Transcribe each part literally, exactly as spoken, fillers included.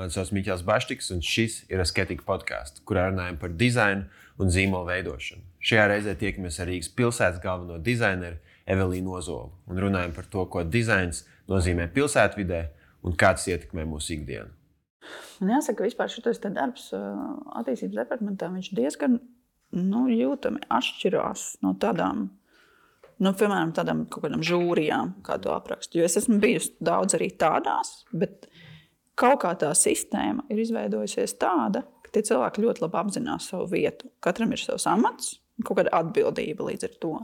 Mani sauc Miķels Baštiks, un šis ir Asketika podcasts, kurā runājam par dizainu un zīmolu veidošanu. Šajā reizē tiekamies ar Rīgas pilsētas galveno dizaineru Evelīnu Ozolu un runājam par to, ko dizains nozīmē pilsētvidē un kā tas ietekmē mūsu ikdienu. Man jāsaka, ka vispār šitais te darbs attīstības departamentā viņš diezgan nu, jūtami atšķirās no tādām, nu, piemēram, tādām kaut kādām žūrijām, kā to aprakstu. Jo es esmu bijusi daudz arī tādās, bet kaut kā tā sistēma ir izveidojusies tāda, ka tie cilvēki ļoti labi apzinās savu vietu. Katram ir savs amats, kaut kāda atbildība līdz ar to.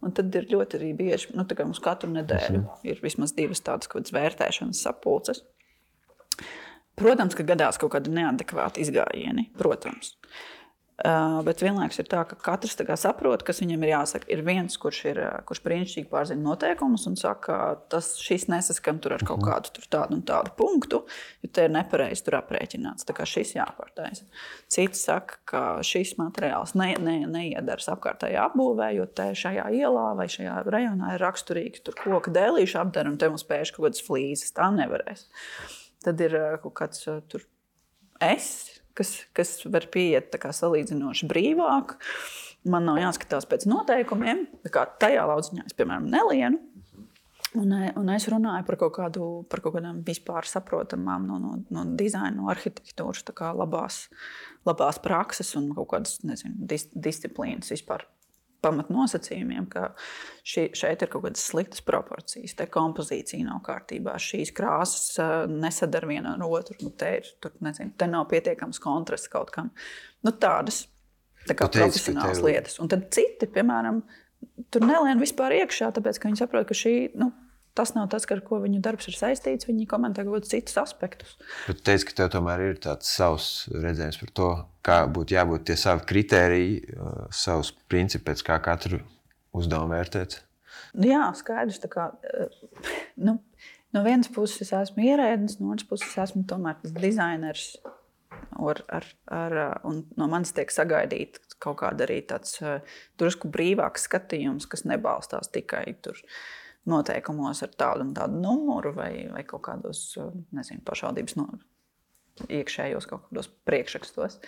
Un tad ir ļoti arī bieži, nu, tā kā mums katru nedēļu ir vismaz divas tādas kaut kādas vērtēšanas sapulces. Protams, ka gadās kaut kādi neadekvāti izgājieni, protams. Uh, bet vienlaikus ir tā, ka katrs tā kā saprot, kas viņam ir jāsaka. Ir viens, kurš, ir, kurš brīnišķīgi pārzina noteikumus un saka, tas šis nesaskan tur ar kaut kādu tur tādu un tādu punktu, jo te ir nepareizi tur aprēķināts. Tā kā šis jāpārtaisa. Cits saka, ka šis materiāls ne, ne, neiedaras apkārtējā apbūvē, jo te šajā ielā vai šajā rajonā ir raksturīgi tur koka dēlīšu apdara un te mums pēš kaut kādas flīzes. Tā nevarēs. Tad ir kaut kāds tur es, kas, kas var pieiet tā kā salīdzinoši brīvāk. Man nav jāskatās pēc noteikumiem. Tā kā tajā lauciņā es, piemēram, nelienu. Un, un es runāju par kaut, kādu, par kaut kādām vispār saprotamām no, no, no dizaina, no arhitektūras, tā kā labās, labās prakses un kaut kādas, nezinu, dis, disciplīnas vispār pamatnosacījumiem, ka ši, šeit ir kaut kādas sliktas proporcijas, te kompozīcija nav kārtībā, šīs krāsas nesadara viena ar otru, nu, te ir, tur, nezinu, te nav pietiekams kontrasts kaut kam. Nu, tādas, tā kā teici, profesionālas tev... lietas. Un tad citi, piemēram, tur nelien vispār iekšā, tāpēc, ka viņi saprot, ka šī, nu, tas nav tas, ar ko viņu darbs ir saistīts, viņi komentē kaut kādus citus aspektus. Bet teici, ka tev tomēr ir tāds savs redzējums par to, kā būtu jābūt tie savi kritēriji, savus principi, pēc kā katru uzdevumu vērtēt? Jā, skaidrs. Tā kā, nu, no vienas puses es esmu ierēdnis, no otras puses es esmu tomēr tas dizainers. Ar, ar, ar, un no manis tiek sagaidīt kaut kāda arī tāds drusku brīvāks skatījums, kas nebalstās tikai tur noteikumos ar tādu un tādu numuru vai, vai kaut kādos, nezinu, pašvaldības no, iekšējos kaut kādos priekšrakstos.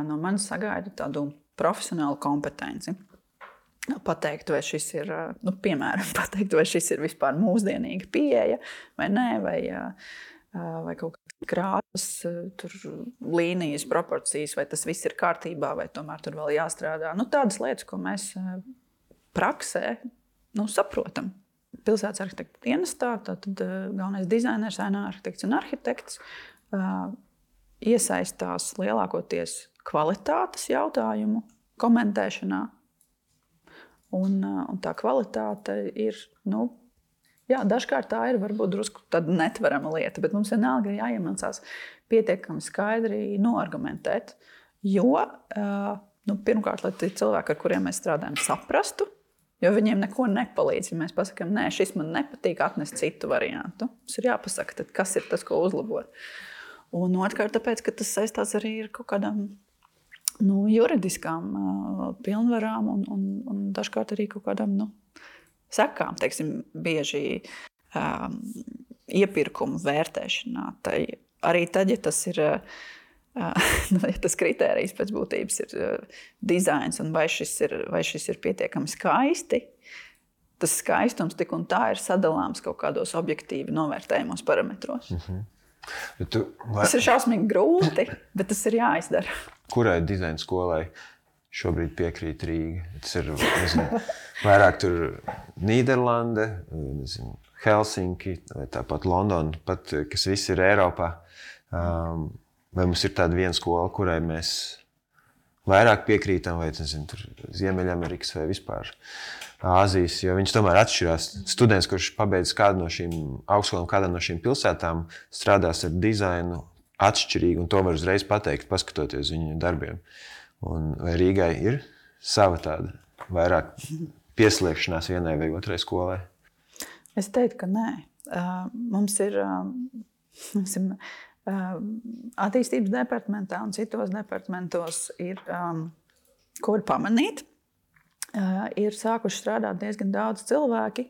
No manis sagaida tādu profesionālu kompetenci. Pateikt, vai šis ir, nu, piemēram, pateikt, vai šis ir vispār mūsdienīga pieeja vai nē, vai, vai kaut kādas krāsas, tur līnijas, proporcijas, vai tas viss ir kārtībā, vai tomēr tur vēl jāstrādā. Nu, tādas lietas, ko mēs praksē, nu, saprotam. Pilsētas arhitekta dienestā, tad galvenais dizainers, ēna arhitekts un arhitekts uh, iesaistās lielākoties kvalitātes jautājumu komentēšanā. Un, uh, un tā kvalitāte ir, nu, jā, dažkārt tā ir varbūt drusku tāda netverama lieta, bet mums vienalga ir jāiemācās pietiekami skaidri noargumentēt, jo, uh, nu, pirmkārt, lai tie cilvēki, ar kuriem mēs strādājam, saprastu, jo viņiem neko nepalīdz. Ja mēs pasakām, nē, šis man nepatīk, atnest citu variantu. Tas ir jāpasaka, tad kas ir tas, ko uzlabot. Un otrkārt, tāpēc, ka tas saistās arī ar kaut kādām nu, juridiskām uh, pilnvarām un, un, un dažkārt arī kaut kādām nu, sekām. Teiksim, bieži um, iepirkumu vērtēšanā. Tai, arī tad, ja tas ir uh, Uh, ja tas kritērijs pēc būtības ir uh, dizains un vai šis ir, vai šis ir pietiekami skaisti, tas skaistums tik un tā ir sadalāms kaut kādos objektīvi novērtējumos parametros. Mm-hmm. Tu, vai... Tas ir šausmīgi grūti, bet tas ir jāizdara. Kurai dizaina skolai šobrīd piekrīt Rīga? Tas ir, nezinu, vairāk tur Nīderlande, nezinu, Helsinki, vai tāpat Londona, pat, kas viss ir Eiropā. Um, Vai mums ir tāda viena skola, kurai mēs vairāk piekrītam, vai nezinu, tur Ziemeļamerikas vai vispār Āzijas, jo viņš tomēr atšķirās. Students, kurš pabeidz kādu no šīm augstskolām, kādā no šīm pilsētām, strādās ar dizainu atšķirīgi, un to var uzreiz pateikt, paskatoties viņu darbiem. Un vai Rīgai ir sava tāda vairāk pieslēgšanās vienai vai otrai skolai? Es teiktu, ka nē. Uh, mums ir... Uh, mums ir attīstības departamentā un citos departamentos ir, um, ko var pamanīt, uh, ir sākuši strādāt diezgan daudz cilvēki,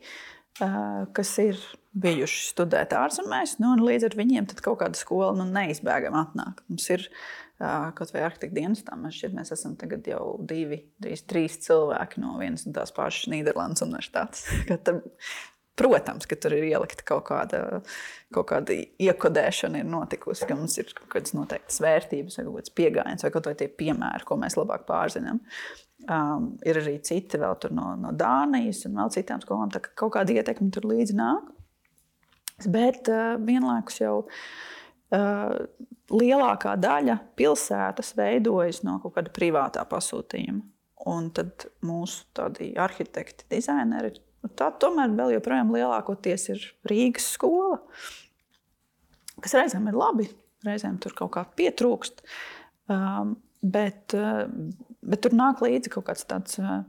kas ir bijuši studēt ārzemēs, nu, un līdz ar viņiem tad kaut kāda skola nu, neizbēgami atnāk. Mums ir kaut vai arhitekta dienestā, man šķiet, mēs esam tagad jau divi, trīs, trīs cilvēki no vienas un tās pašas Nīderlandes universitātes. Protams, ka tur ir ielikta kaut kāda, kaut kāda iekodēšana ir notikusi, ka mums ir kaut kādas noteiktas vērtības vai kaut kāds piegājiens vai kaut vai tie piemēri, ko mēs labāk pārzinām. Um, ir arī citi vēl tur no, no Dānijas un vēl citām skolām, tā ka kaut kāda ietekme tur līdzi nāk. Bet uh, vienlaikus jau uh, lielākā daļa pilsētas veidojas no kaut kāda privātā pasūtījuma. Un tad mūsu tādi arhitekti, dizaineri, tā tomēr vēl joprojām lielākoties ir Rīgas skola, kas reizēm ir labi, reizēm tur kaut kā pietrūkst, um, bet, uh, bet tur nāk līdzi kaut kāds tāds uh,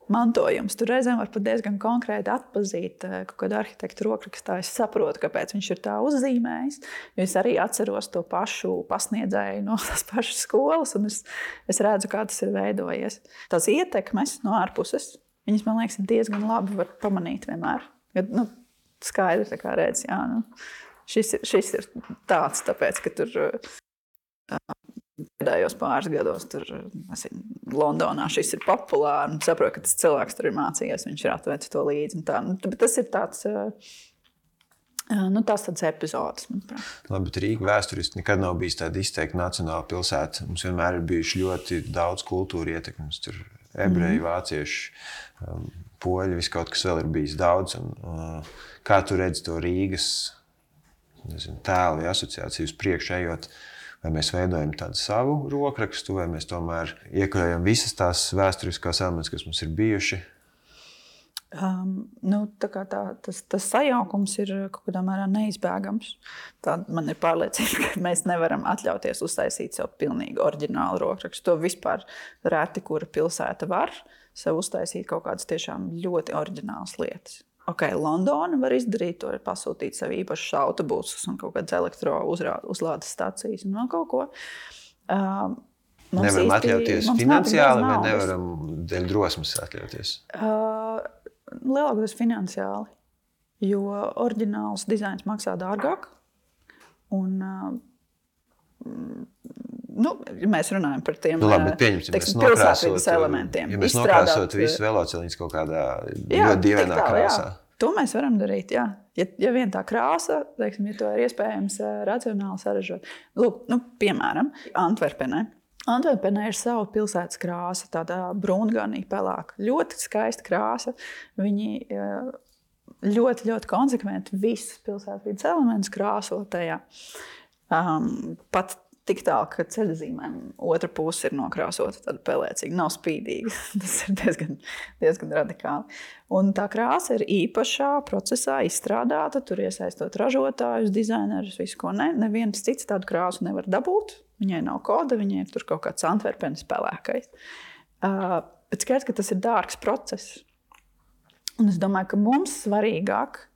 mantojums. Tur reizēm var pat diezgan konkrēti atpazīt uh, kaut kādu arhitektu rokrakstā. Es saprotu, kāpēc viņš ir tā uzzīmējis, jo es arī atceros to pašu pasniedzēju no tās pašas skolas, un es, es redzu, kā tas ir veidojies. Tās ietekmes no ārpuses, viņas, man liekas, diezgan labi var pamanīt vienmēr. Ja, nu, skaidri tā kā redz, jā, nu, šis, ir, šis ir tāds, tāpēc, ka tur pēdējos pāris gados tur, esmu, Londonā šis ir populāri, un saprotu, ka tas cilvēks tur ir mācījies, viņš ir atvēcis to līdzi. Un tā. Nu, bet tas ir tāds, nu, tās tāds epizodes, manuprāt. Labi, bet Rīga vēsturiski nekad nav bijis tāda izteikta nacionāla pilsēta. Mums vienmēr ir bijuši ļoti daudz kultūra ietekmes. Tur ebreji, mm. vācieši, um, poļi, viss kaut kas vēl ir bijis daudz. Un, uh, kā tu redzi to Rīgas nezinu, tēlu vai asociāciju uz priekšu ejot? Vai mēs veidojam tādu savu rokrakstu, vai mēs tomēr iekļaujam visas tās vēsturiskās elementus, kas mums ir bijuši? Um, nu, tā kā tā, tas, tas sajaukums ir kaut kādā mērā neizbēgams. Tā man ir pārliecība, ka mēs nevaram atļauties uztaisīt sev pilnīgi oriģinālu rokrakstu. To vispār reti, kura pilsēta var sev uztaisīt kaut kādas tiešām ļoti oriģinālas lietas. Ok, Londona var izdarīt to, pasūtīt sev īpašus autobusus un kaut kādas elektrouzlādes stacijas un vēl kaut ko. Um, nevaram īsti, atļauties finansiāli vai nevaram dēļ drosmes atļauties? Uh, lielākoties finansiāli, jo oriģināls dizains maksā dārgāk. Un, uh, nu, ja mēs runājam par tiem nu, labi, pieņemsim, teiksim, pilsētvidas elementiem. Ja mēs nokrāsot visu veloceliņus kaut kādā jā, ļoti dievainā tā, krāsā. Jā. To mēs varam darīt, jā. Ja, ja vien tā krāsa, teiksim, ja to ir iespējams racionāli saražot. Lūk, nu, piemēram, Antverpenē. Antverpenē ir sava pilsētas krāsa, tādā brūnganī pelāka. Ļoti skaista krāsa. Viņi ļoti, ļoti konsekventi visas pilsētvidas elementus krāso tajā. Um, pat tik tālu, ka ceļazīmēm otra puse ir nokrāsota tāda pelēcīga, nav spīdīga. Tas ir diezgan, diezgan radikāli. Un tā krāsa ir īpašā procesā izstrādāta, tur iesaistot ražotājus, dizainerus, visu ko ne. Neviens cits tādu krāsu nevar dabūt. Viņai nav koda, viņai ir tur kaut kāds Antverpenes pelēkais. Uh, bet skaidrs, ka tas ir dārgs process. Un es domāju, ka mums svarīgāk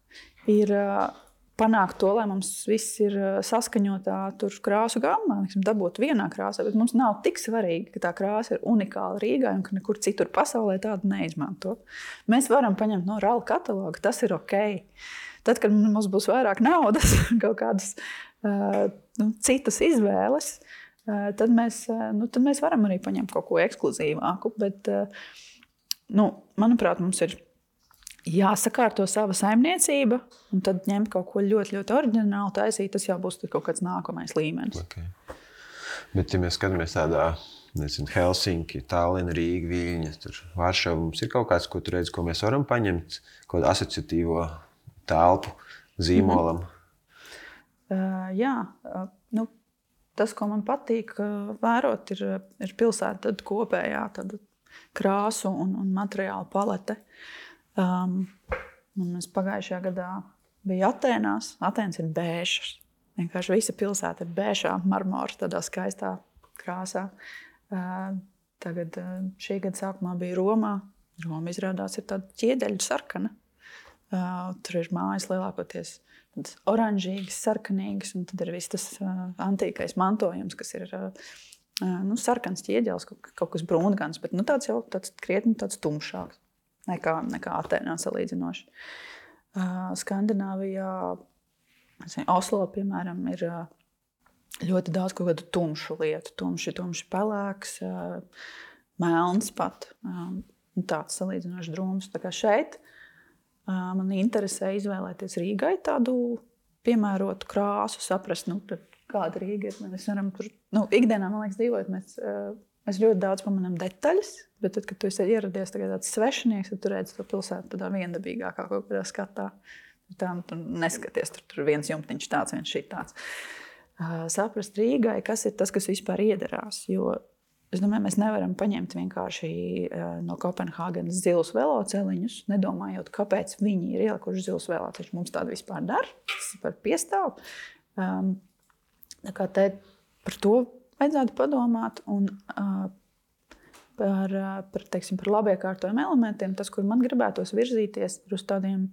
ir uh, panākt to, lai mums viss ir saskaņotā tur krāsu gammā, dabūt vienā krāsā, bet mums nav tik svarīgi, ka tā krāsa ir unikāla Rīgai un ka nekur citur pasaulē tādu neizmanto. Mēs varam paņemt no ralla kataloga, tas ir ok. Tad, kad mums būs vairāk naudas, kaut kādas uh, nu, citas izvēles, uh, tad, mēs, uh, nu, tad mēs varam arī paņemt kaut ko ekskluzīvāku, bet, uh, nu, manuprāt, mums ir jāsakārto sava saimniecība, un tad ņemt kaut ko ļoti, ļoti oriģinālu taisīt, tas jau būs kaut kāds nākamais līmenis. Okay. Bet, ja mēs skatāmies tādā, nezinu, Helsinki, Tallina, Rīga, Viļņa, tur Varšava, mums ir kaut kāds, ko tu redzi, ko mēs varam paņemt, kaut kādu asociatīvo telpu zīmolam? Mm-hmm. Uh, jā, uh, nu, tas, ko man patīk uh, vērot, ir, ir pilsēta tad kopējā tad krāsu un, un materiālu palete. Um, mēs pagājušajā gadā bija Atēnās. Atēnas ir bēžas. Vienkārši visa pilsēta ir bēžā, marmora, tādā skaistā krāsā. Uh, tagad uh, šī gada sākumā bija Romā. Roma izrādās ir tāda ķiedeļu sarkana. Uh, tur ir mājas lielākoties oranžīgas, sarkanīgas, un tad ir viss tas uh, antīkais mantojums, kas ir uh, nu, sarkans ķieģelis, kaut, kaut kas brūngans, bet nu, tāds jau tāds krietni tāds tumšāks. Nekā, nekā Atēnā salīdzinoši. Skandināvijā, Oslo, piemēram, ir ļoti daudz kaut kādu tumšu lietu. Tumši, tumši pelēks, melns pat. Tāds salīdzinoši drūms. Tā kā šeit man interesē izvēlēties Rīgai tādu piemērotu krāsu, saprast, nu, kāda Rīga ir. Mēs varam tur, nu, ikdienā, man liekas, dzīvojot, mēs, mēs ļoti daudz pamanām detaļas, bet tad, kad tu esi ieradies tāds svešinieks, tad tu redzi to pilsētu tādā viendabīgākā kaut kādā skatā. Tā, tu neskaties, tur, tur viens jumtiņš tāds, viens šī tāds. Uh, saprast Rīgai, kas ir tas, kas vispār iederās, jo es domāju, mēs nevaram paņemt vienkārši uh, no Kopenhāgenes zilus veloceliņus, nedomājot, kāpēc viņi ir ielikuši zilus veloceliņus. Mums tādu vispār dar, tas ir par piestāvu. Um, tā kā te par to vajadzētu padomāt un uh, par, uh, par, teiksim, par labiekārtojumiem elementiem. Tas, kur man gribētos virzīties, ir uz tādiem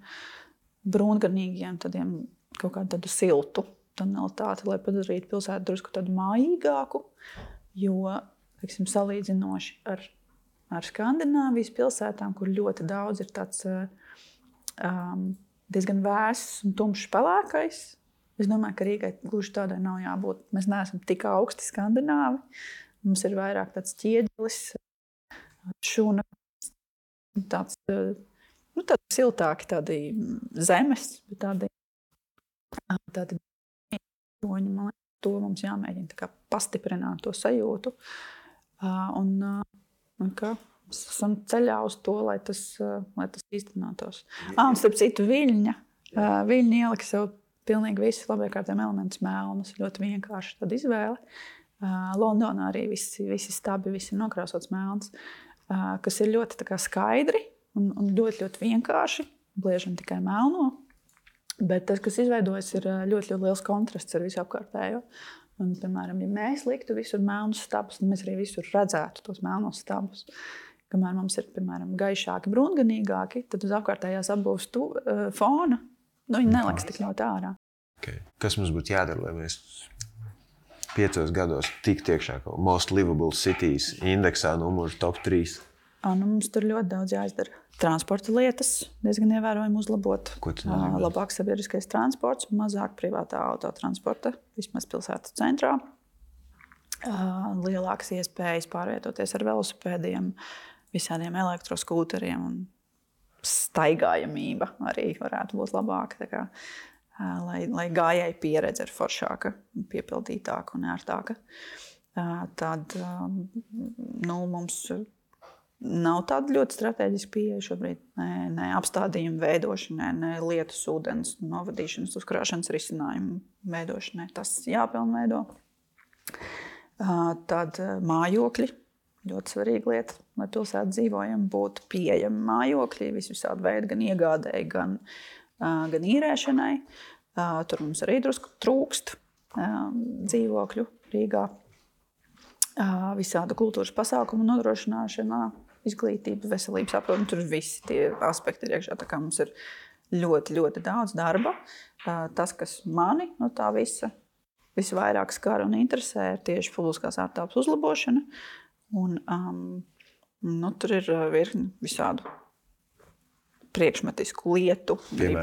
brūngarnīgiem, tādiem kaut kādu tādu siltu tonalitāti, lai padarītu pilsētu drusku tādu mājīgāku, jo, teiksim, salīdzinoši ar, ar Skandināvijas pilsētām, kur ļoti daudz ir tāds um, diezgan vēss un tumšs pelēkais. Es domāju, ka Rīgai gluži tādai nav jābūt. Mēs neesam tik augsti Skandināvi. Mums ir vairāk tāds ķieģelis, šūna, tāds, nu, tādi siltāki, tādi zemes, bet tādi, tādi toņi, man liekas, to mums jāmēģina tā kā pastiprināt to sajūtu. Un, un kā mēs esam ceļā uz to, lai tas, lai tas īstenotos. Ah, un starp citu, Viļņa. Viļņa ielika sev pilnīgi visus labiekārtiem elementus melnus. Ļoti vienkārši tad izvēle. Londonā arī visi, visi stabi, visi nokrāsots melns, kas ir ļoti tā kā skaidri un, un ļoti, ļoti vienkārši. Bliežam tikai melno. Bet tas, kas izveidojas, ir ļoti, ļoti liels kontrasts ar visu apkārtējo. Un, piemēram, ja mēs liktu visur melnus stabus, tad mēs arī visur redzētu tos melnos stabus. Kamēr mums ir, piemēram, gaišāki, brūnganīgāki, tad uz apkārtējās apbūves tu, uh, fona, nu, viņi neliks tik ļoti ārā. Okay. Kas mums būtu jādara, lai mēs piecos gados tiktu iekšā kaut Most Livable Cities indeksā numuru top trīs? A, nu, mums tur ļoti daudz jāizdara. Transporta lietas diezgan ievērojami uzlabot. Ko tas nozīmē? Labāk sabiedriskais transports, mazāk privātā autotransporta, vismaz pilsētas centrā. Lielākas iespējas pārvietoties ar velosipēdiem, visādiem elektroskūteriem un staigājamība arī varētu būt labāka. Tā kā, lai, lai gājēji pieredze ir foršāka, piepildītāka un ērtāka. Tad nu, mums nav tāda ļoti strateģiska pieeja šobrīd. Ne, ne apstādījumu veidošanai, ne lietus ūdens novadīšanas, uzkrāšanas risinājumu veidošanai. Tas jāpilnveido. Tad mājokļi. Ļoti svarīga lieta, lai pilsētu dzīvojam, būtu pieejami mājokļi, visvisādi veidi, gan iegādēji, gan, gan īrēšanai. Tur mums arī drusku trūkst dzīvokļu Rīgā. Visāda kultūras pasākumu nodrošināšanā, izglītība, veselības aprūpe, tur visi tie aspekti ir iekšā. Tā kā mums ir ļoti, ļoti daudz darba. Tas, kas mani no tā visa visvairāk skar un interesē, ir tieši publiskās ārtelpas uzlabošana. Un, um, nu, tur ir virkni visādu priekšmetisku lietu,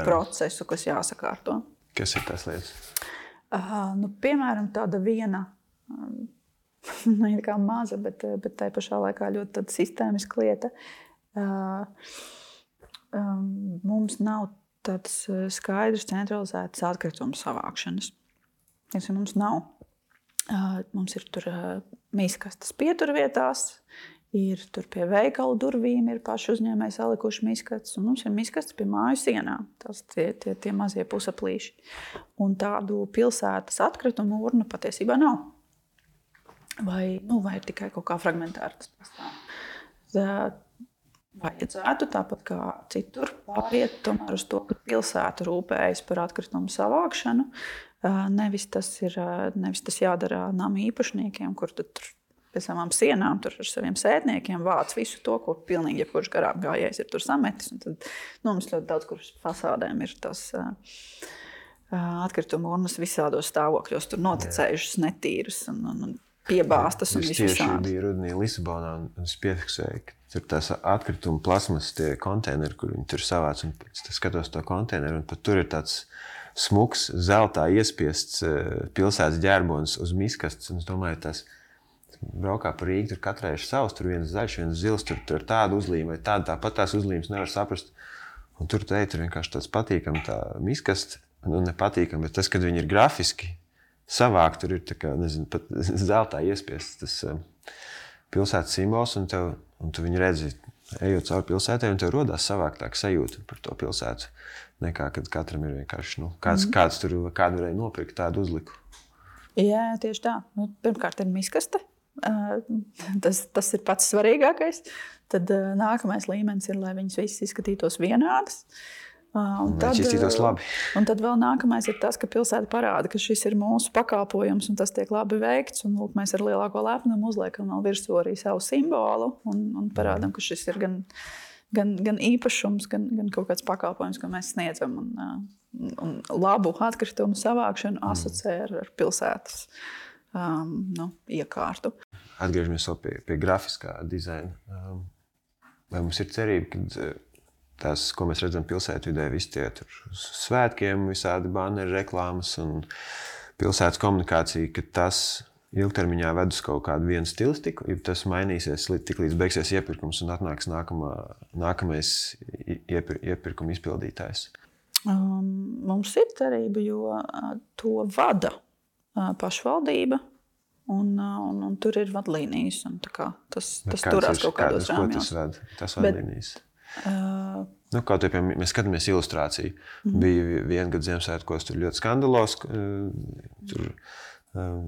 procesu, kas jāsakārto. Kas ir tās lietas? Uh, nu, piemēram, tāda viena, um, ne kā maza, bet, bet tai pašā laikā ļoti tāda sistēmiska lieta. Uh, um, mums nav tādas skaidrs centralizētas atkritumu savākšanas. Ja mums nav. Uh, mums ir tur uh, miskastes pieturvietās, ir tur pie veikalu durvīm, ir paši uzņēmēji salikuši miskastes, un mums ir miskastes pie māju sienām. Tas tie, tie, tie mazie pusaplīši. Un tādu pilsētas atkritumu urnu patiesībā nav. Vai, nu, vai ir tikai kaut kā fragmentāri tas pastāv. Vajadzētu tāpat kā citur pāriet tomēr uz to, ka pilsēta rūpējas par atkritumu savākšanu. Nevis tas, ir, nevis tas jādara nama īpašniekiem, kur tur pie savām sienām tur ar saviem sētniekiem vāc visu to, ko pilnīgi jebkurš garām gājējs ir tur sametis. Un tad, nu, mums ļoti daudz, kur fasādēm ir tas uh, atkritumu urnas visādos stāvokļos, tur noticējušas, netīras. Un, un, un piebāstas un es viss tieši visādi. biju rudenī Lisabonā un es piefiksēju, ka tur tās atkrituma plasmas tie konteineri, kur viņi tur savāc, un pēc tam skatos to konteineru, un pat tur ir tāds smuks, zeltā iespiests pilsētas ģērbonis uz miskastes, un es domāju, tas braukā par Rīgu, tur katrai ir savs, tur viens zaļš, viens zils, tur, tur tāda uzlīme vai tāda, tāpat tās uzlīmes nevar saprast. Un tur tu ej, tur vienkārši tāds patīkam tā miskast, nu nepatīkam, bet tas, kad viņi ir grafiski savāk, tur ir tā kā, nezinu, pat zeltā iespiests tas um, pilsētas simbols, un, tev, un tu viņu redzi, ejot cauri pilsētai, un tev rodās savāktāk sajūta par to pilsētu, nekā, kad katram ir vienkārši, nu, kāds, mm. kāds tur, kādu varēja nopirkt, tādu uzliku. Jā, tieši tā. Nu, pirmkārt ir miskaste. Uh, tas, tas ir pats svarīgākais. Tad uh, nākamais līmenis ir, lai viņas visas izskatītos vienādas. Uh, un tad, izskatītos labi. Un tad vēl nākamais ir tas, ka pilsēta parāda, ka šis ir mūsu pakalpojums un tas tiek labi veikts. Un, lūk, mēs ar lielāko lepnumu uzliekam vēl virsū arī savu simbolu un, un parādam, ka šis ir gan, gan, gan īpašums, gan, gan kaut kāds pakalpojums, ko mēs sniedzam. Un, uh, un labu atkritumu savākšanu asociē ar, ar pilsētas um, nu, iekārtu. Atgriežamies vēl pie, pie grafiskā dizaina. Um, vai mums ir cerība, ka tās, ko mēs redzam pilsētvidē, visi tie tur svētkiem, visādi banneri, reklāmas un pilsētas komunikācija, ka tas ilgtermiņā ved uz kaut kādu vienu stilistiku, ja tas mainīsies tik līdz beigsies iepirkums un atnāks nākamā, nākamais iepir, iepirkuma izpildītājs? Um, mums ir cerība, jo uh, to vada uh, pašvaldība. Un, un, un tur ir vadlīnijas. Un tā kā tas tas turās kaut kādos rāmjos. Tas ved, tas vadlīnijas. Uh, nu, kaut kā mēs skatāmies ilustrāciju. Mm-hmm. Bija viena gada Ziemassvētkos, tur ļoti skandalos. Tur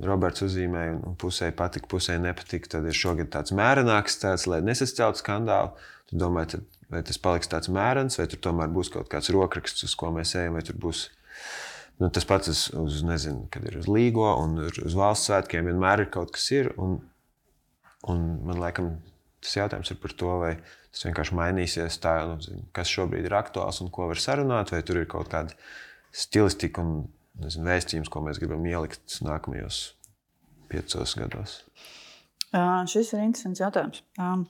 Roberts uzzīmēja un pusē patika, pusē nepatika. Tad ir šogad tāds mērenāks, tāds, lai nesasceltu skandālu. Tu domā, tad, vai tas paliks tāds mērens, vai tur tomēr būs kaut kāds rokraksts, uz ko mēs ejam, vai tur būs... Nu, tas pats uz, uz, nezinu, kad ir uz Līgo un uz valsts svētkiem vienmēr ir kaut kas ir. Un, un man laikam tas jautājums ir par to, vai tas vienkārši mainīsies tā, nu, kas šobrīd ir aktuāls un ko var sarunāt, vai tur ir kaut kāda stilistika un nezinu, vēstījums, ko mēs gribam ielikt nākamajos piecos gados. Uh, šis ir interesants jautājums. Um,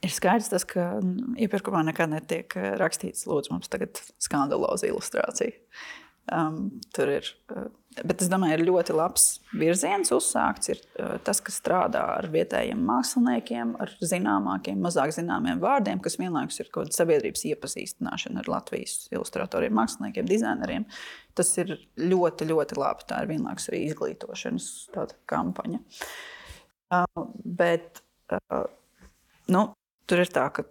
ir skaidrs tas, ka iepirkumā nekad netiek rakstīts, lūdzu, mums tagad skandaloza ilustrācija. Um, tur ir, uh, bet es domāju, ir ļoti labs virziens uzsākts. Ir uh, tas, kas strādā ar vietējiem māksliniekiem, ar zināmākiem, mazāk zināmiem vārdiem, kas vienlaikus ir kaut kāda sabiedrības iepazīstināšana ar Latvijas ilustratoriem, māksliniekiem, dizaineriem. Tas ir ļoti, ļoti labi. Tā ir vienlaikus arī izglītošanas tāda kampaņa. Uh, bet, uh, nu, tur ir tā, ka,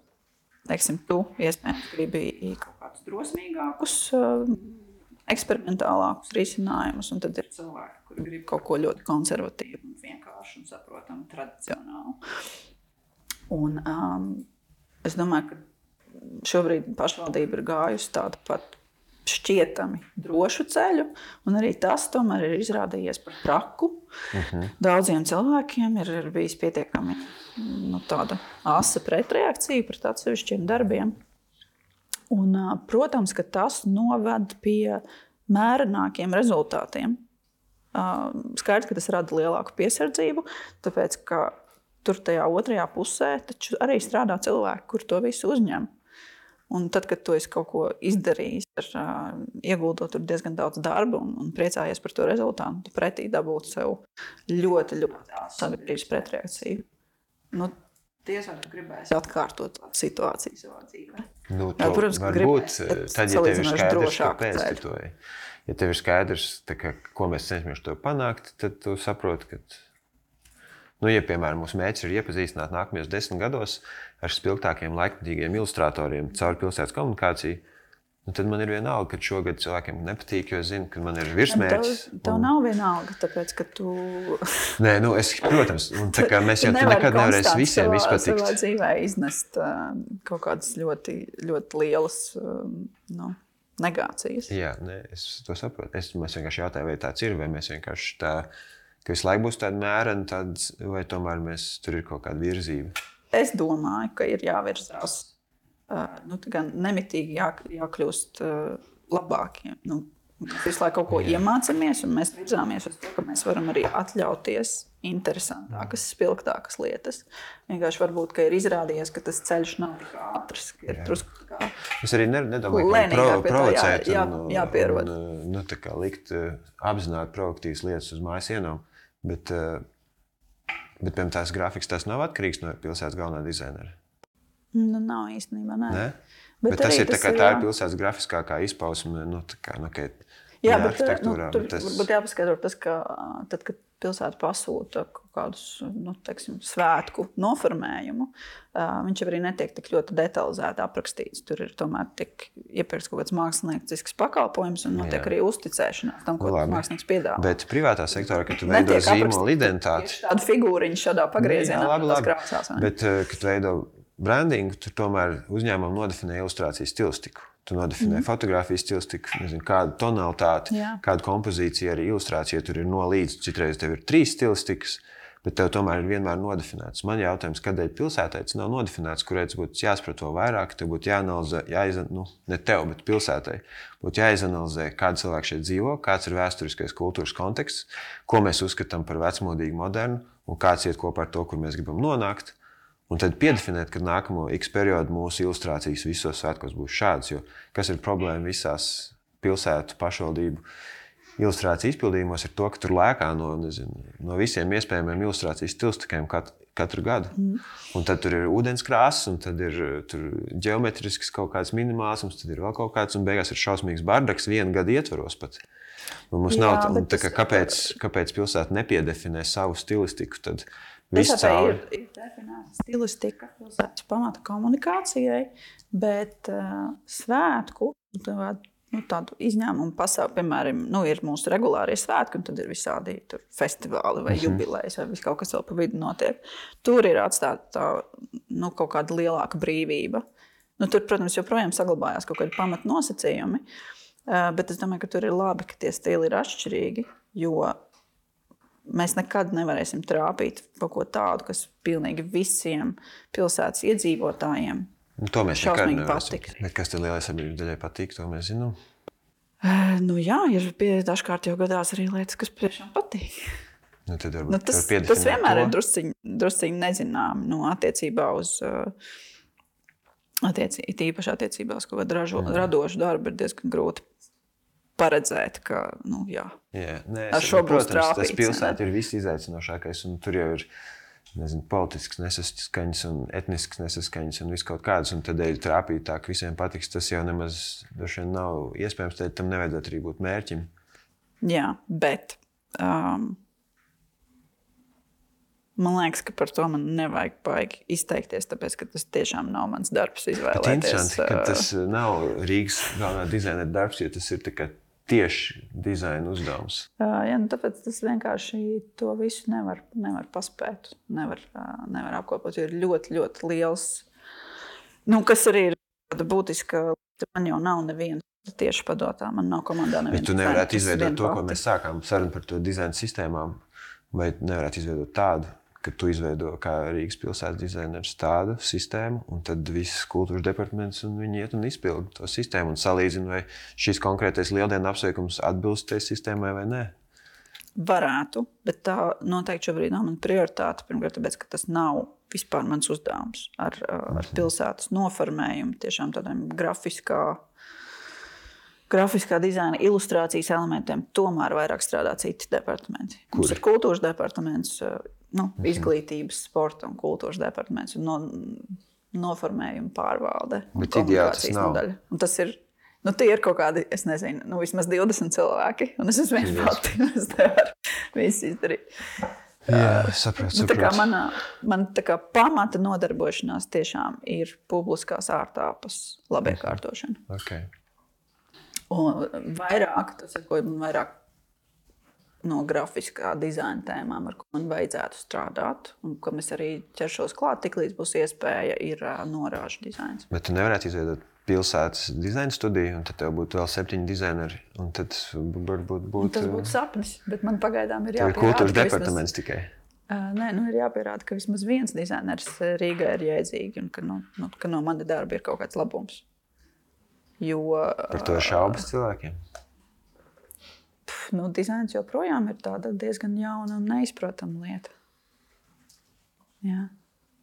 teiksim, tu iespējams gribi kaut kādus drosmīgākus, uh, eksperimentālākus risinājumus, un tad ir cilvēki, kuri grib kaut ko ļoti konservatīvu un vienkāršu un saprotamu, tradicionālu. Un um, es domāju, ka šobrīd pašvaldība ir gājusi tādu pat šķietami drošu ceļu, un arī tas tomēr ir izrādījies par traku. Uh-huh. Daudziem cilvēkiem ir, ir bijis pietiekami nu, tāda asa pretreakcija pret atsevišķiem darbiem. Un, protams, ka tas noved pie mērenākiem rezultātiem. Skaidrs, ka tas rada lielāku piesardzību, tāpēc, ka tur tajā otrajā pusē taču arī strādā cilvēki, kur to visu uzņem. Un tad, kad tu esi kaut ko izdarījis, ar, ieguldot tur diezgan daudz darba un, un priecājies par to rezultātu, tu pretī dabūt sev ļoti, ļoti sabiedrības pretreakciju. Nu, tiesā tu gribēsi atkārtot situāciju savā dzīvē. Nu, to, jā, protams, ka gribēs, tad, ja tev ir skaidrs, kāpēc tu to ej. Ja tev ir skaidrs, tā, ka, ko mēs cenšamies to panākt, tad tu saproti, ka, nu, ja, piemēram, mūsu mērķis ir iepazīstināt nākamajos desmit gados ar spilgtākiem laikmatīgiem ilustratoriem caur pilsētas komunikāciju, nu, tad man ir vienalga, ka šogad cilvēkiem nepatīk, jo es zinu, ka man ir virsmērķis. Tev, tev un... nav vienalga, tāpēc, ka tu... Nē, nu, es, protams, un tā kā mēs jau nevar nekad nevarēs visiem savā, izpatikt. Savā dzīvē iznest uh, kaut kādas ļoti, ļoti lielas uh, nu, negācijas. Jā, ne, es to saprotu. Es, mēs vienkārši jautāju, vai tāds ir, vai mēs vienkārši tā, ka visu laiku būs tāda mērena, tad, vai tomēr mēs, tur ir kaut kāda virzība. Es domāju, ka ir jāvirzās. Uh, nu, gan nemitīgi jā, jākļūst uh, labākiem, nu, Mēs visu laiku kaut ko Jā. iemācāmies, un mēs virzāmies uz to, ka mēs varam arī atļauties interesantākas, spilgtākas lietas. Vienkārši varbūt, ka ir izrādījies, ka tas ceļš nav tik ātrs. Ir drusku kā es arī nedomāju, ka pro, provocēt jā, jā, un, jāpierod. un nu, tā kā likt apzināti proaktīvas lietas uz mājas ienām, bet, bet piemēram, tās grafikas tas nav atkarīgs no pilsētas galvenā dizainera. Nu, nav īstenībā, nē. Ne? Bet, bet tas ir tā, kā, tā ir pilsētas grafiskākā izpausme, nu, tā kā, nu, ka jā, bet, arhitektūrā. Nu, tur tas... varbūt jāpaskaidro tas, ka tad, kad pilsēta pasūta kaut kādus, nu, teiksim, svētku noformējumu, viņš jau arī netiek tik ļoti detalizēti aprakstīts. Tur ir tomēr tiek iepirkts kaut kāds māksliniecisks pakalpojums un notiek jā. arī uzticēšanās tam, ko tas mākslinieks piedāvā. Bet privātā sektorā, kad tu veido zīmolu identitāti... Tāda figūriņa šādā pagriezienā. Jā, labi, labi. Krāsās, bet, kad tu veido brandingu, tur tomēr uzņēmumam nodefinē ilustrācijas stilistiku. Tu nodefinē mm. fotogrāfijas stilistiku, nezinu, kādu tonalitāti, Jā. kādu kompozīciju, arī ilustrācija tur ir no līdz. Citreiz tev ir trīs stilistikas, bet tev tomēr ir vienmēr nodefinēts. Man jautājums, kādēļ pilsētai tas nav nodefinēts, kurai tas būtu jāsaprot to vairāk, tev būtu jāanalizē, jāizan, nu, ne tev, bet pilsētai, būtu jāizanalizē, kāda cilvēka šeit dzīvo, kāds ir vēsturiskais kultūras konteksts, ko mēs uzskatām par vecmodīgu modernu un kāds iet kopā ar to, kur mēs gribam nonākt. Un tad piedefinēt, ka nākamo X periodu mūsu ilustrācijas visos svētkos būs šādas, jo kas ir problēma visās pilsētu pašvaldību ilustrāciju izpildījumos ir to, ka tur lēkā no, nezinu, no visiem iespējamiem ilustrācijas stilistikiem katru, katru gadu. Mm. Un tad tur ir ūdenskrāsas, un tad ir tur ģeometrisks kaut kāds minimālisms, tad ir vēl kaut kāds, un beigās ir šausmīgs bardaks vienu gadu ietvaros pat. Un mums Jā, nav, un tā, ka kāpēc, kāpēc pilsēta nepiedefinē savu stilistiku, tad Pilsētai ir, ir definēta stilistika pilsētas pamata komunikācijai, bet uh, svētku, nu, tādu izņēmumu pasauli, piemēram, nu, ir mūsu regulārie svētki, un tad ir visādi tur festivāli vai jubilejas, vai kaut kas vēl pa vidu notiek. Tur ir atstāta tā, nu, kaut kāda lielāka brīvība. Nu, tur, protams, joprojām saglabājās kaut kādi pamatnosacījumi, uh, bet es domāju, ka tur ir labi, ka tie stili ir atšķirīgi, jo mēs nekad nevarēsim trāpīt kaut ko tādu, kas pilnīgi visiem pilsētas iedzīvotājiem nu, to mēs šausmīgi patīk. Bet kas tad lielai sabiedrības daļai patīk, to mēs zinām? Uh, nu jā, ir pie, dažkārt jau gadās arī lietas, kas priekšām patīk. Nu, tad varbūt, nu, tas, tas vienmēr to. ir drusciņi, drusciņi nezinām nu, attiecībā uz, uh, attiecī, tīpaši attiecībā uz kaut kādu ražo, radošu darbu ir diezgan grūti paredzēt, ka, nu, jā, jā nē, ar šo būs trāpīts. Protams, tas pilsēta ir viss izaicinošākais, un tur jau ir, nezinu, politisks nesaskaņas un etnisks nesaskaņas un viss kaut kādas, un tādēļ trāpīt tā, ka visiem patiks, tas jau nemaz droši vien nav iespējams, tad tam nevajadzētu arī būt mērķim. Jā, bet um, man liekas, ka par to man nevajag baigi izteikties, tāpēc, ka tas tiešām nav mans darbs izvēlēties. Bet interesanti, ka tas nav Rīgas galvenā dizainera darbs, jo tas ir tā kā tieši dizaina uzdevums. Uh, jā, nu tāpēc tas vienkārši to visu nevar, nevar paspēt, nevar, uh, nevar apkopot, jo ir ļoti, ļoti liels, nu, kas arī ir būtiska, man jau nav neviens tieši padotā, man nav komandā neviens. Bet tu nevarētu izveidot to, ko mēs sākām sarunu par to dizaina sistēmām, vai nevarētu izveidot tādu, ka tu izveido kā Rīgas pilsētas dizainers tādu sistēmu, un tad viss kultūras departaments un viņi iet un izpilda to sistēmu un salīdzina, vai šis konkrētais lieldienu apsveikums atbilst tai sistēmai vai nē. Varētu, bet tā noteikti šobrīd nav mana prioritāte. Pirmkārt, tāpēc, ka tas nav vispār mans uzdevums ar, ar pilsētas noformējumu, tiešām tādiem grafiskā, grafiskā dizaina ilustrācijas elementiem tomēr vairāk strādā citi departamenti. Kuri? Mums ir kultūras departaments, nu, izglītības, sporta un kultūras departaments un no, noformējuma pārvalde un komunikācijas nodaļa. Un tas ir, nu, tie ir kaut kādi, es nezinu, nu, vismaz divdesmit cilvēki, un es esmu viens pati, un es nevaru visu izdarīt. Jā, sapratu, sapratu. Tā kā mana, man tā kā pamata nodarbošanās tiešām ir publiskās ārtāpas labiekārtošana. Okay. Un vairāk, tas ir, ko man vairāk no grafiskā dizaina tēmām, ar ko man vajadzētu strādāt, un kam es arī ķeršos klāt, tik līdz būs iespēja, ir norāžu dizains. Bet tu nevarētu izveidot pilsētas dizaina studiju, un tad tev būtu vēl septiņi dizaineri, un tad varbūt būtu... Tas būtu sapnis, bet man pagaidām ir jāpierāda. Tev ir kultūras departaments vismaz... tikai. Uh, nē, nu ir jāpierāda, ka vismaz viens dizainers Rīgā ir jēdzīgi, un ka, nu, nu, ka no mani darba ir kaut kāds labums. Jo... Par to ir šaubas cilvēkiem? nu, dizains joprojām ir tāda diezgan jauna un neizprotama lieta. Jā.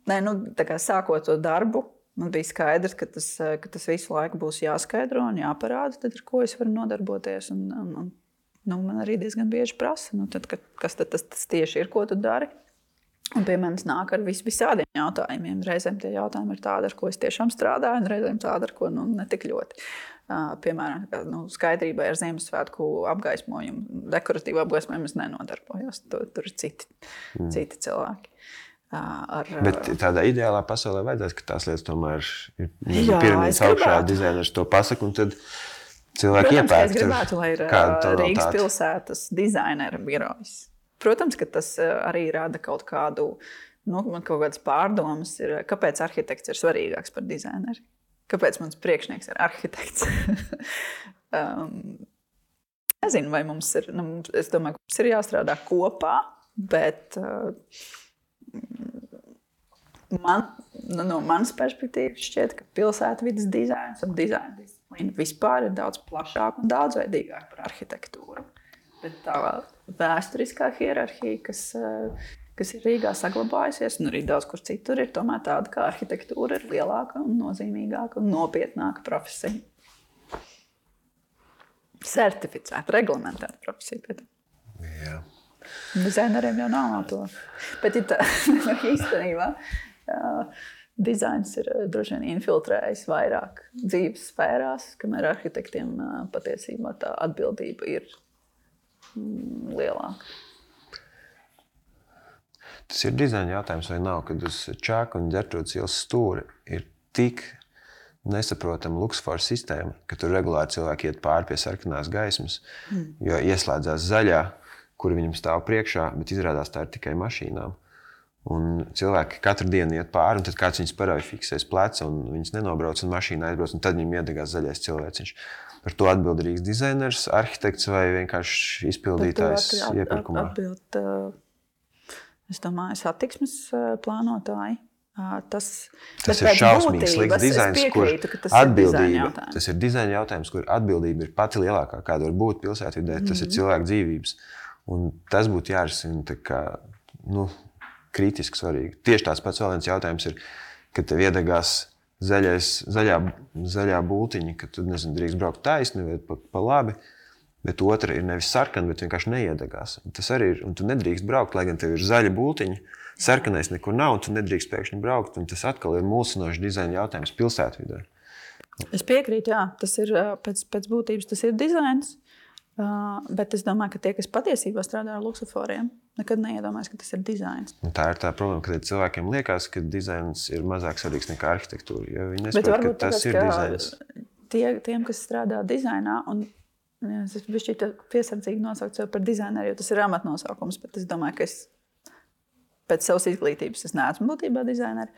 Nē, nu, tā kā sākot to darbu, man bija skaidrs, ka tas, ka tas visu laiku būs jāskaidro un jāparāda, tad ar ko es varu nodarboties. Un, un, un, nu, man arī diezgan bieži prasa, nu, tad, kas tad tas, tas tieši ir, ko tu dari. Un pie manis nāk ar vis, visādiem jautājumiem. Reizēm tie jautājumi ir tādi, ar ko es tiešām strādāju, un reizēm tādi, ar ko nu, ne tik ļoti. Uh, piemēram, nu, skaidrībai ar Ziemassvētku apgaismojumu, dekoratīvu apgaismojumu es nenodarbojos. Tur, tur ir citi, mm. citi cilvēki. Uh, ar, Bet tādā ideālā pasaulē vajadzētu, ka tās lietas tomēr ir piramīdas augšā, dizainers to pasaka, un tad cilvēki iepērk. Protams, es gribētu, lai ir Rīgas pilsētas dizainera birojas. Protams, ka tas arī rada kaut kādu, nu, man kaut kādas pārdomas ir, kāpēc arhitekts ir svarīgāks par dizaineru. Kāpēc mans priekšnieks ir arhitekts? um, nezinu, vai mums ir, nu, es domāju, ka mums ir jāstrādā kopā, bet uh, man, nu, no manas perspektīvas šķiet, ka pilsētvides dizains un dizaina disciplīna vispār ir daudz plašāk un daudzveidīgāk par arhitektūru. Bet tā vēsturiskā hierarhija, kas, kas ir Rīgā saglabājusies, un arī daudz kur citur, ir tomēr tāda, ka arhitektūra ir lielāka un nozīmīgāka un nopietnāka profesija. Certificēta, reglamentēta profesija. Jā. Dizaineriem jau nav to. Bet ir tā, īstenībā, dizains ir droši vien infiltrējis vairāk dzīves sfērās, kamēr arhitektiem patiesībā tā atbildība ir lielāka. Tas ir dizaina jautājums vai nav, kad uz Čāka un Ģertrūdes ielas stūri ir tik nesaprotama luksusfora sistēma, ka tur regulāri cilvēki iet pāri pie sarkanās gaismas, mm. jo ieslēdzās zaļā, kura viņam stāv priekšā, bet izrādās tā ir tikai mašīnām. Un cilvēki katru dienu iet pāri, un tad kāds viņus parauj fiksēs pleca, un viņus nenobrauc, un mašīna aizbrauc, un tad viņam iedegās zaļais cilvēciņš. Par to atbildīgs dizainers, arhitekts vai vienkārši izpildītājs at, iepirkumā? Atbild, es domāju, satiksmes plānotāji. Tas, tas ir šausmīgi slikts dizains, kur atbildība, tas ir dizaina jautājums, kur atbildība ir pati lielākā, kāda var būt pilsētvidē, tas mm-hmm. ir cilvēku dzīvības. Un tas būtu jārisina tā kā, nu, kritiski svarīgi. Tieši tāds pats vēl viens jautājums ir, kad tev iedegās Zaļais, zaļā, zaļā būtiņa, ka tu, nezinu, drīkst braukt taisni vai pa, pa labi, bet otra ir nevis sarkana, bet vienkārši neiedegās. Un tas arī ir, un tu nedrīkst braukt, lai gan tev ir zaļa būtiņa, sarkanais nekur nav, un tu nedrīkst pēkšņi braukt, un tas atkal ir mulsinošs dizaina jautājums pilsētvidē. Es piekrītu, jā, tas ir pēc, pēc būtības tas ir dizains, bet es domāju, ka tie, kas patiesībā strādā ar luksusforiem, nekad neiedomājas, ka tas ir dizains. Un tā ir tā problēma, ka cilvēkiem liekas, ka dizains ir mazāk svarīgs nekā arhitektūra, jo viņi nesaprot, ka tas ir dizains. Tie, tiem, kas strādā dizainā, un jā, es bišķi piesardzīgi nosaukt sev par dizaineru, jo tas ir amatnosaukums, bet es domāju, ka es pēc savas izglītības es neesmu būtībā dizaineri.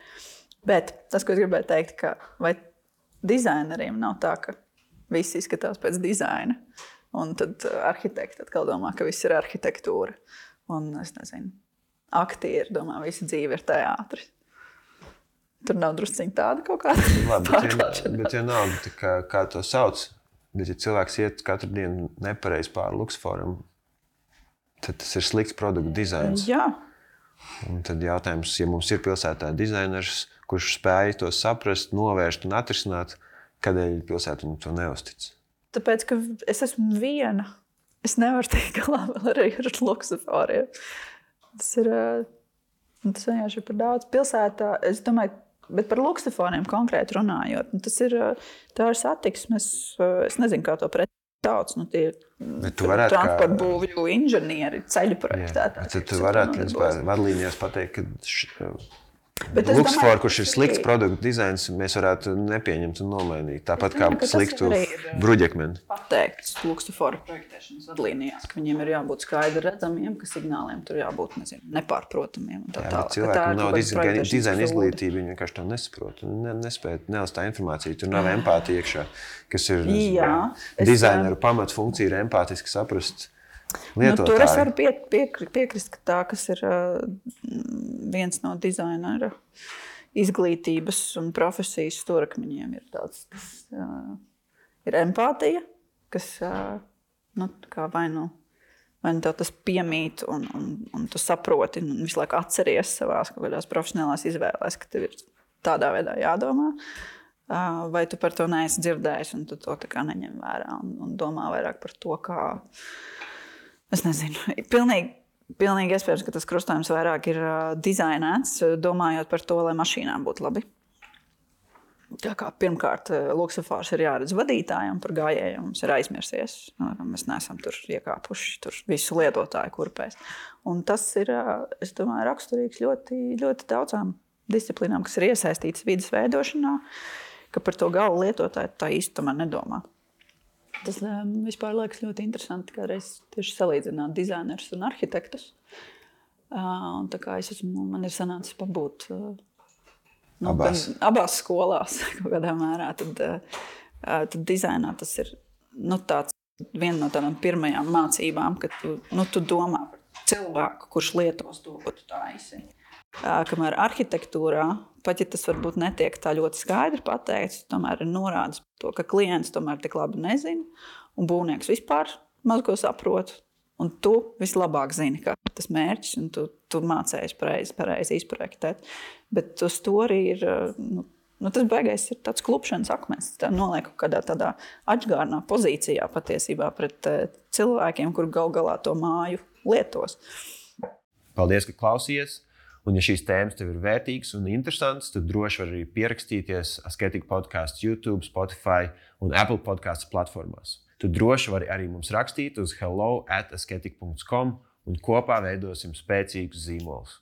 Bet tas, ko es gribēju teikt, ka vai dizaineriem nav tā, ka viss izskatās pēc dizaina, un tad arhitekti atkal domā, ka viss ir arhitektūra. Un, es nezinu, aktieri domā, visa dzīve ir teātris. Tur nav drusciņi tāda kaut kāda pārklāšanās. Bet ja nav, kā, kā to sauc, bet ja cilvēks iet katru dienu nepareizi pāri luksusforam, tad tas ir slikts produktu dizains. Jā. Un tad jautājums, ja mums ir pilsētā dizainers, kurš spēj to saprast, novērst un atrisināt, kādēļ pilsēta viņam to neuztic? Tāpēc, ka es esmu viena. Es nevaru teikt galā vēl arī ar luksusforiem. Tas ir, tas vienkārši ir par daudz pilsētā. Es domāju, bet par luksusforiem konkrēti runājot, tas ir, tā ir satiksmes, es nezinu, kā to pret sauc, nu tie transporta būvju inženieri, ceļu projektētāji. Tad tu varētu vadlīnijās pateikt, ka š... Luksusfor, kurš ir slikts produktu dizains, mēs varētu nepieņemt un nomainīt. Tāpat kā sliktu bruģekmeni. Pateikts luksusforu projektēšanas vadlīnijās, ka viņiem ir jābūt skaidri redzamiem, ka signāliem tur jābūt, nezinu, nepārprotamiem. Un tā Jā, tālāk. Cilvēkiem nav dizaina izglītība, viņi vienkārši to nesaprot. Ne, nespēja nelas tā informācija, tur nav empātija iekšā, kas ir Jā, dizaineru pamatfunkcija ir empātiski saprast lietotāju. Nu, tur es varu pie, piekri, piekrist, ka tā, kas ir uh, viens no dizainera izglītības un profesijas stūrakmeņiem, ir tāds, tas uh, ir empātija, kas uh, nu, kā vai nu vai nu tev tas piemīt, un, un, un tu saproti, un visu laiku atceries savās kaut kādās profesionālās izvēlēs, ka tev ir tādā veidā jādomā, vai tu par to neesi dzirdējis, un tu to tā kā neņem vērā, un, un domā vairāk par to, kā, es nezinu, pilnīgi, pilnīgi iespējams, ka tas krustojums vairāk ir dizainēts, domājot par to, lai mašīnām būtu labi. Tā kā pirmkārt, luksofārs ir jāredz vadītājiem par gājējiem, mums ir aizmirsies. Mēs neesam tur iekāpuši tur visu lietotāju kurpēs. Un tas ir, es domāju, raksturīgs ļoti, ļoti daudzām disciplīnām, kas ir iesaistītas vides veidošanā, ka par to gala lietotāju tā īsti tomēr nedomā. Tas vispār liekas ļoti interesanti, kādreiz tieši salīdzināt dizainerus un arhitektus. Un tā kā es esmu, man ir sanācis pabūt Nu, abās. abās skolās kaut kādā mērā, tad, tad dizainā tas ir nu, tāds, viena no tādām pirmajām mācībām, ka tu, nu, tu domā par cilvēku, kurš lietos to, ko tu taisi. Kamēr arhitektūrā, pat ja tas varbūt netiek tā ļoti skaidri pateikts, tomēr ir norādes to, ka klients tomēr tik labi nezina, un būvnieks vispār maz ko saprot. Un tu vislabāk zini, kā tas mērķis, un tu, tu mācējies pareizi, pareizi izprojektēt. Bet uz to arī ir, nu, nu tas beigais ir tāds klupšanas akmens. Tā noliek kādā tādā atžgārnā pozīcijā patiesībā pret cilvēkiem, kur gal galā to māju lietos. Paldies, ka klausījies. Un ja šīs tēmas tev ir vērtīgas un interesantas, tad droši var arī pierakstīties Asketika podcasts YouTube, Spotify un Apple podcasts platformās. Tu droši vari arī mums rakstīt uz hello at asketika dot com un kopā veidosim spēcīgus zīmolus.